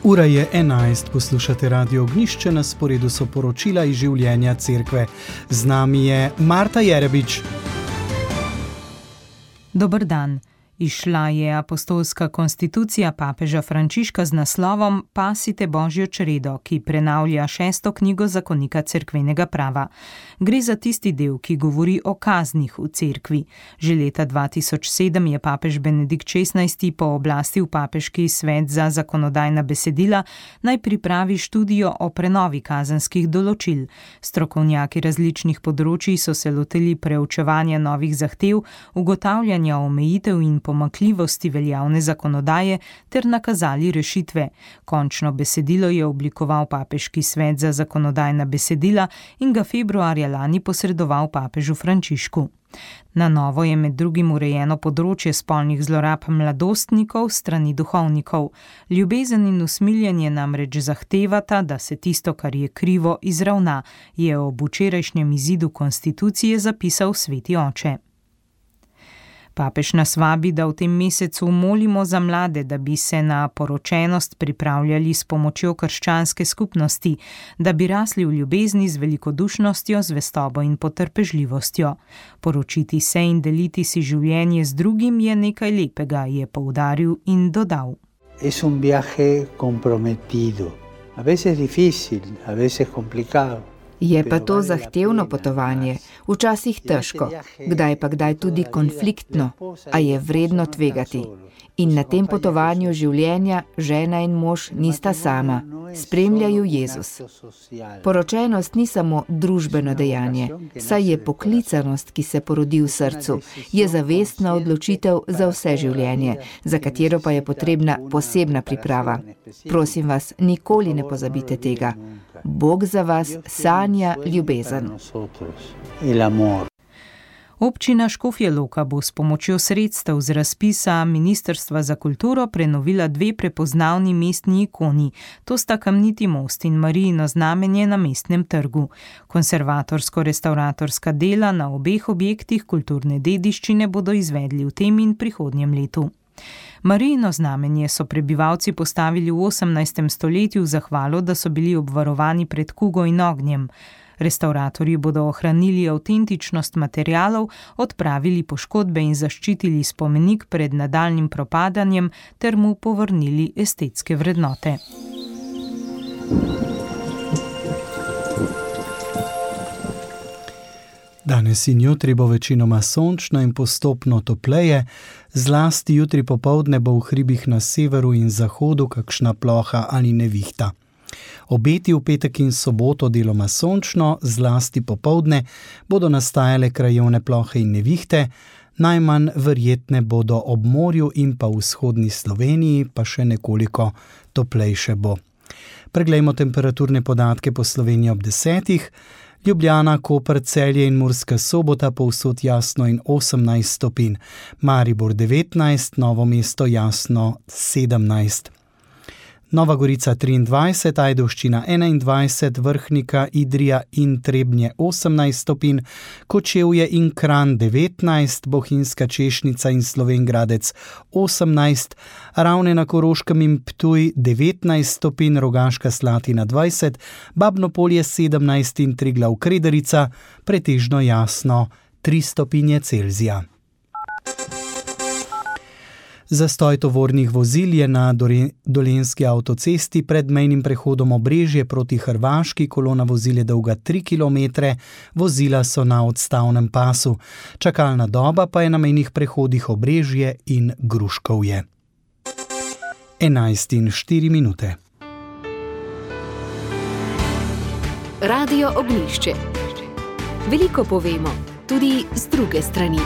Ura je 11, poslušate Radio Ognjišče, na sporedu so poročila iz življenja cerkve. Z nami je Marta Jerebič. Dober dan. Izšla je apostolska konstitucija papeža Frančiška z naslovom Pasite Božjo čredo, ki prenavlja 6. knjigo zakonika cerkvenega prava. Gre za tisti del, ki govori o kaznih v cerkvi. Že leta 2007 je papež Benedikt XVI pooblastil papeški svet za zakonodajna besedila, naj pripravi študijo o prenovi kazenskih določil. Strokovnjaki različnih področij so se lotili preučevanja novih zahtev, ugotavljanja omejitev in pomanjkljivosti veljavne zakonodaje ter nakazali rešitve. Končno besedilo je oblikoval papeški svet za zakonodajna besedila in ga februarja lani posredoval papežu Frančišku. Na novo je med drugim urejeno področje spolnih zlorab mladostnikov strani duhovnikov. Ljubezen in usmiljenje namreč zahtevata, da se tisto, kar je krivo, izravna, je ob včerajšnjem izidu konstitucije zapisal sveti oče. Papež nas vabi, da v tem mesecu molimo za mlade, da bi se na poročenost pripravljali s pomočjo krščanske skupnosti, da bi rasli v ljubezni z velikodušnostjo, zvestobo in potrpežljivostjo. Poročiti se in deliti si življenje z drugim je nekaj lepega, je poudaril in dodal. Es un viaje comprometido, a veces difícil, a veces complicado. Je pa to zahtevno potovanje, včasih težko, kdaj tudi konfliktno, a je vredno tvegati. In na tem potovanju življenja žena in mož nista sama, spremljajo Jezus. Poročenost ni samo družbeno dejanje, saj je poklicanost, ki se porodi v srcu, je zavestna odločitev za vse življenje, za katero pa je potrebna posebna priprava. Prosim vas, nikoli ne pozabite tega. Bog za vas sanja ljubezen. Občina Škofja Loka bo s pomočjo sredstev z razpisa Ministrstva za kulturo prenovila 2 prepoznavni mestni ikoni. To sta Kamniti most in Marijino znamenje na Mestnem trgu. Konservatorsko-restavratorska dela na obeh objektih kulturne dediščine bodo izvedli v tem in prihodnjem letu. Marijino znamenje so prebivalci postavili v 18. stoletju v zahvalo, da so bili obvarovani pred kugo in ognjem. Restavratorji bodo ohranili avtentičnost materialov, odpravili poškodbe in zaščitili spomenik pred nadaljnjim propadanjem ter mu povrnili estetske vrednote. Danes in jutri bo večinoma sončno in postopno topleje, zlasti jutri popoldne bo v hribih na severu in zahodu kakšna ploha ali nevihta. Obeti v petek in soboto deloma sončno, zlasti popoldne bodo nastajale krajevne plohe in nevihte, najmanj verjetne bodo ob morju in pa v vzhodni Sloveniji, pa še nekoliko toplejše bo. Preglejmo temperaturne podatke po Sloveniji ob 10. Ljubljana, Koper, Celje in Murska Sobota povsod jasno in 18 stopinj, Maribor 19, Novo mesto jasno 17. Nova Gorica 23, Ajdovščina 21, Vrhnika, Idrija in Trebnje 18 stopinj, Kočevje in Kranj 19, Bohinjska Češnica in Slovenj Gradec 18, Ravne na Koroškem in Ptuj 19 stopinj, Rogaška Slatina 20, Babno Polje 17 in Triglav Krederica, pretežno jasno 3 stopinje Celzija. Zastoj tovornih vozil je na Dolenjski avtocesti pred mejnim prehodom Obrežje proti Hrvaški, kolona vozil je dolga 3 km, vozila so na odstavnem pasu. Čakalna doba pa je na mejnih prehodih Obrežje in Gruškovje. 11:04. Radio Ognjišče. Veliko povemo, tudi z druge strani.